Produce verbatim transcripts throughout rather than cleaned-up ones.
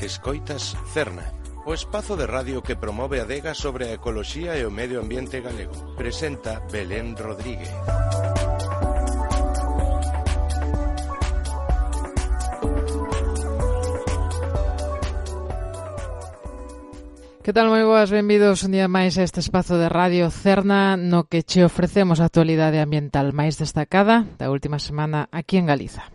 Escoitas Cerna, o espazo de radio que promove a adega sobre a ecoloxía e o medio ambiente galego. Presenta Belén Rodríguez. Que tal, moi boas, benvidos un día máis a este espazo de Radio Cerna no que che ofrecemos a actualidade ambiental máis destacada da última semana aquí en Galiza.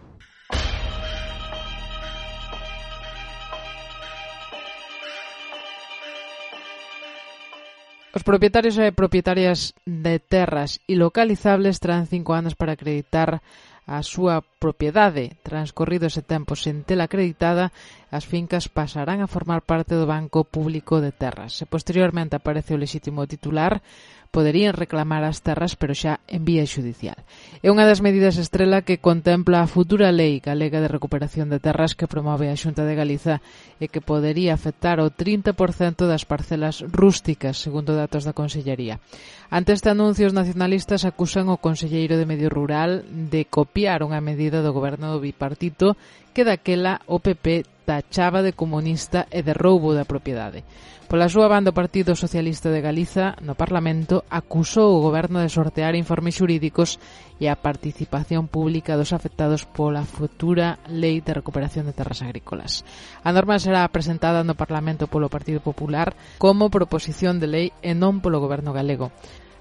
Os propietarios e propietarias de terras ilocalizables terán cinco anos para acreditar a súa propiedade. Transcorrido ese tempo sen tela acreditada, as fincas pasarán a formar parte do Banco Público de Terras. Se posteriormente aparece o lexítimo titular, poderían reclamar as terras, pero xa en vía xudicial. É unha das medidas estrela que contempla a futura lei galega de recuperación de terras que promove a Xunta de Galiza e que podería afectar o trinta por cento das parcelas rústicas, segundo datos da Consellería. Ante este anuncio, os nacionalistas acusan o conselleiro de Medio Rural de copiar unha medida do goberno do bipartito que daquela o P P tachaba de comunista e de roubo da propiedade. Pola súa banda, o Partido Socialista de Galiza, no Parlamento, acusou o goberno de sortear informes xurídicos e a participación pública dos afectados pola futura Lei de Recuperación de Terras Agrícolas. A norma será presentada no Parlamento polo Partido Popular como proposición de lei e non polo goberno galego.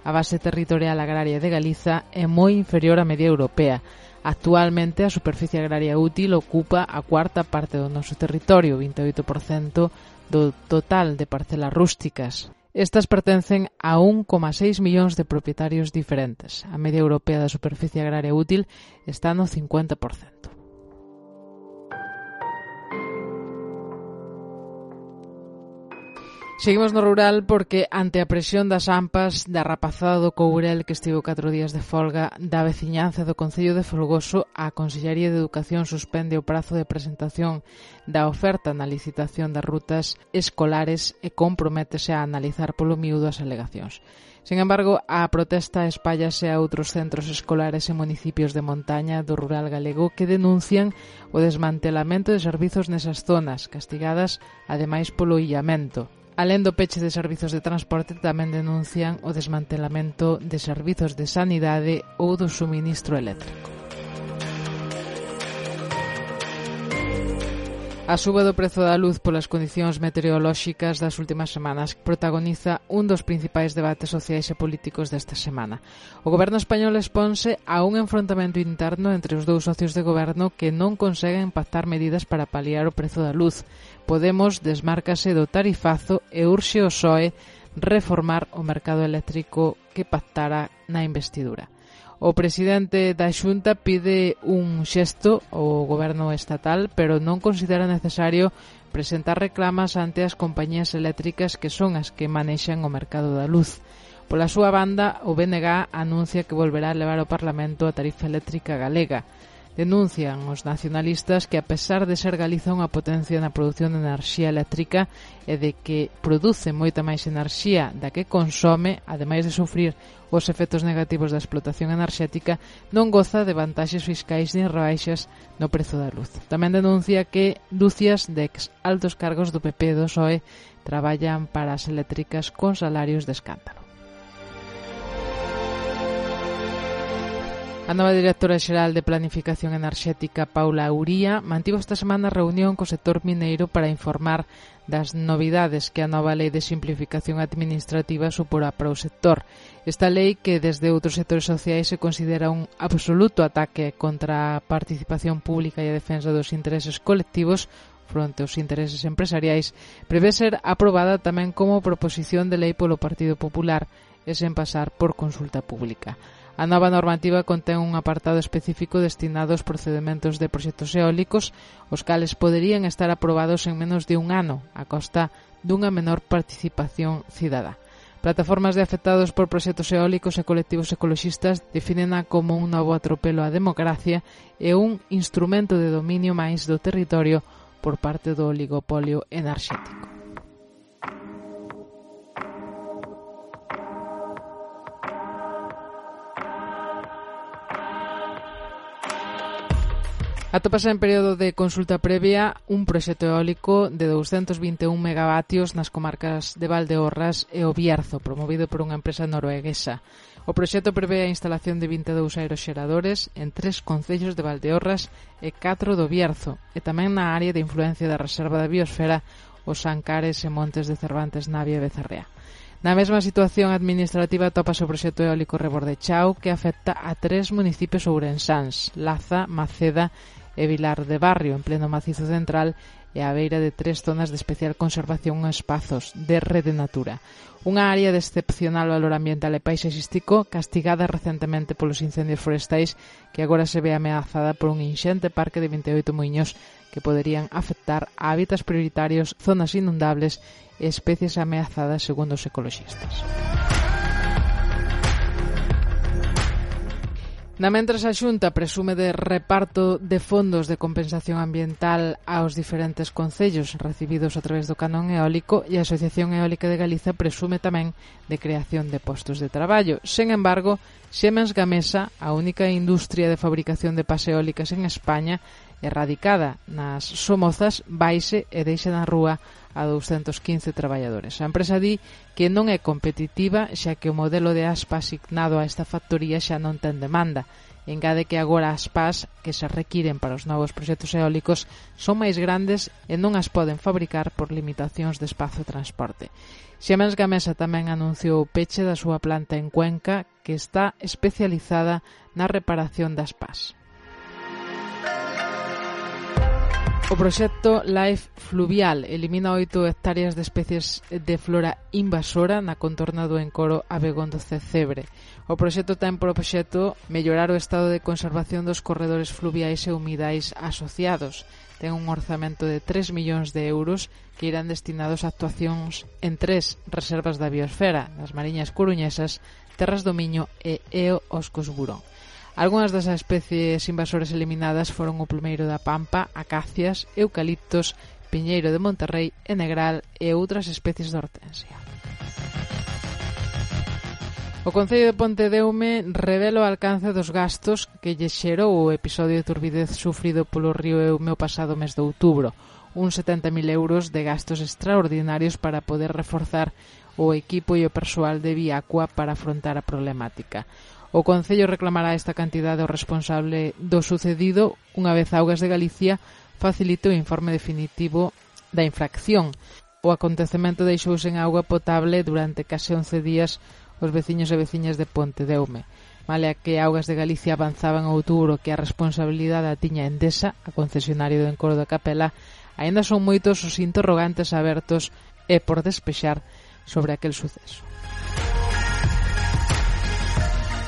A base territorial agraria de Galiza é moi inferior á media europea. Actualmente, a superficie agraria útil ocupa a cuarta parte do noso territorio, vinte e oito por cento do total de parcelas rústicas. Estas pertencen a un coma seis millóns de propietarios diferentes. A media europea da superficie agraria útil está no cincuenta por cento. Seguimos no rural porque, ante a presión das AMPAs da rapazada do Courel que estivo catro días de folga da veciñanza do Concello de Folgoso, a Consellería de Educación suspende o prazo de presentación da oferta na licitación das rutas escolares e comprométese a analizar polo miúdo as alegacións. Sin embargo, a protesta espállase a outros centros escolares e municipios de montaña do rural galego que denuncian o desmantelamento de servizos nesas zonas, castigadas ademais polo illamento. Alén do peche de servizos de transporte, tamén denuncian o desmantelamento de servizos de sanidade ou do suministro eléctrico. A suba do prezo da luz polas condicións meteorolóxicas das últimas semanas protagoniza un dos principais debates sociais e políticos desta semana. O goberno español exponse a un enfrontamento interno entre os dous socios de goberno que non conseguen pactar medidas para paliar o prezo da luz. Podemos desmárcase do tarifazo e urxe o P S O E reformar o mercado eléctrico que pactara na investidura. O presidente da Xunta pide un xesto ao goberno estatal, pero non considera necesario presentar reclamas ante as compañías eléctricas que son as que manexan o mercado da luz. Pola súa banda, o B N G anuncia que volverá a levar ao Parlamento a tarifa eléctrica galega. Denuncian os nacionalistas que, a pesar de ser Galiza unha potencia na produción de enerxía eléctrica e de que produce moita máis enerxía da que consome, ademais de sufrir os efectos negativos da explotación enerxética, non goza de vantaxes fiscais nin rebaixas no prezo da luz. Tamén denuncia que dúcias de ex altos cargos do P P e do P S O E traballan para as eléctricas con salarios de escándalo. A nova directora xeral de Planificación Enerxética, Paula Uría, mantivo esta semana reunión co sector mineiro para informar das novidades que a nova Lei de Simplificación Administrativa suporá para o sector. Esta lei, que desde outros sectores sociais se considera un absoluto ataque contra a participación pública e a defensa dos intereses colectivos fronte aos intereses empresariais, prevé ser aprobada tamén como proposición de lei polo Partido Popular e sen pasar por consulta pública. A nova normativa contén un apartado específico destinado aos procedementos de proxectos eólicos, os cales poderían estar aprobados en menos de un ano, a costa dunha menor participación cidadá. Plataformas de afectados por proxectos eólicos e colectivos ecoloxistas definena como un novo atropelo á democracia e un instrumento de dominio máis do territorio por parte do oligopolio enerxético. Atópase en período de consulta previa un proxecto eólico de douscentos vinte e un megavatios nas comarcas de Valdeorras e o Bierzo, promovido por unha empresa norueguesa. O proxecto prevé a instalación de vinte e dous aeroxeradores en tres concellos de Valdeorras e catro do Bierzo, e tamén na área de influencia da Reserva da Biosfera, os Ancares e Montes de Cervantes, Navia e Becerrea. Na mesma situación administrativa tópase o proxecto eólico Rebordechao, que afecta a tres municipios ourensáns, Laza, Maceda e Vilar de Barrio, en pleno macizo central, e á beira de tres zonas de especial conservación en espazos de Rede Natura. Unha área de excepcional valor ambiental e paisaxístico castigada recentemente polos incendios forestais, que agora se ve ameazada por un inxente parque de vinte e oito muiños que poderían afectar a hábitats prioritarios, zonas inundables e especies ameazadas, segundo os ecoloxistas. Na mentras, a Xunta presume de reparto de fondos de compensación ambiental aos diferentes concellos recibidos a través do canon eólico, e a Asociación Eólica de Galiza presume tamén de creación de postos de traballo. Sen embargo, Siemens Gamesa, a única industria de fabricación de pas eólicas en España, erradicada nas Somozas, vaise e deixa na rúa a douscentos quince traballadores. A empresa di que non é competitiva, xa que o modelo de aspa asignado a esta factoría xa non ten demanda. Engade que agora as pas que se requiren para os novos proxectos eólicos son máis grandes e non as poden fabricar por limitacións de espazo e transporte. Siemens Gamesa tamén anunciou o peche da súa planta en Cuenca, que está especializada na reparación das pas. O proxecto Life Fluvial elimina oito hectáreas de especies de flora invasora na contorna do encoro Abegondo Cebre. O proxecto ten por obxecto mellorar o estado de conservación dos corredores fluviais e humidais asociados. Ten un orzamento de tres millóns de euros que irán destinados a actuacións en tres reservas da biosfera, das Mariñas Coruñesas, Terras do Miño e Eo Oscos Burón. Algunhas das especies invasoras eliminadas foron o plumeiro da Pampa, acacias, eucaliptos, piñeiro de Monterrey e negral e outras especies de hortensia. O Concello de Pontedeume revela o alcance dos gastos que lle xerou o episodio de turbidez sufrido polo río Eume o pasado mes de outubro, uns setenta mil euros de gastos extraordinarios para poder reforzar o equipo e o persoal de Viacua para afrontar a problemática. O Concello reclamará esta cantidade ao responsable do sucedido unha vez Augas de Galicia facilite o informe definitivo da infracción. O acontecemento deixouse en auga potable durante case once días os veciños e veciñas de Pontedeume. Malea que Augas de Galicia avanzaba en outubro que a responsabilidade a tiña Endesa, a concesionario do encoro da Capela, aínda son moitos os interrogantes abertos e por despexar sobre aquel suceso.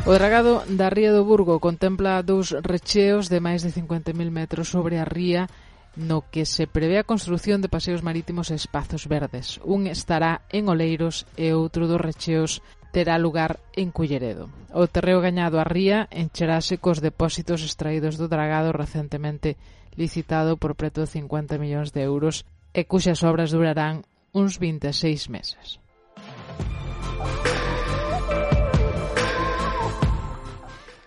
O dragado da ría do Burgo contempla dous recheos de máis de cincuenta mil metros sobre a ría, no que se prevé a construción de paseos marítimos e espazos verdes. Un estará en Oleiros e outro dos recheos terá lugar en Culleredo. O terreo gañado á ría encherase cos depósitos extraídos do dragado recentemente licitado por preto de cincuenta millóns de euros e cuxas obras durarán uns vinte e seis meses.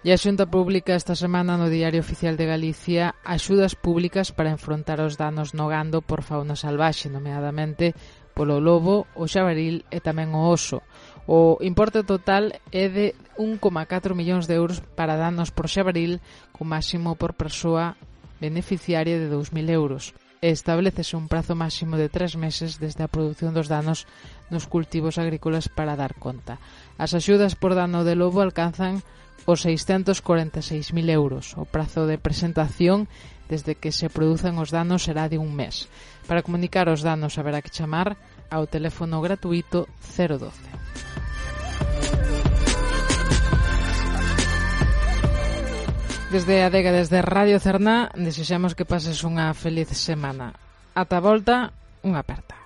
E a Xunta publica esta semana no Diario Oficial de Galicia axudas públicas para enfrontar os danos no gando por fauna salvaxe, nomeadamente polo lobo, o xabaril e tamén o oso. O importe total é de un coma catro millóns de euros para danos por xabaril, co máximo por persoa beneficiaria de dous mil euros. E establecese un prazo máximo de tres meses desde a produción dos danos nos cultivos agrícolas para dar conta. As axudas por dano de lobo alcanzan os seiscentos corenta e seis mil euros. O prazo de presentación desde que se produzan os danos será de un mes. Para comunicar os danos haberá que chamar ao teléfono gratuito cero doce. Desde a adega, desde Radio Cerná, desexamos que pases unha feliz semana. Ata a volta, unha aperta.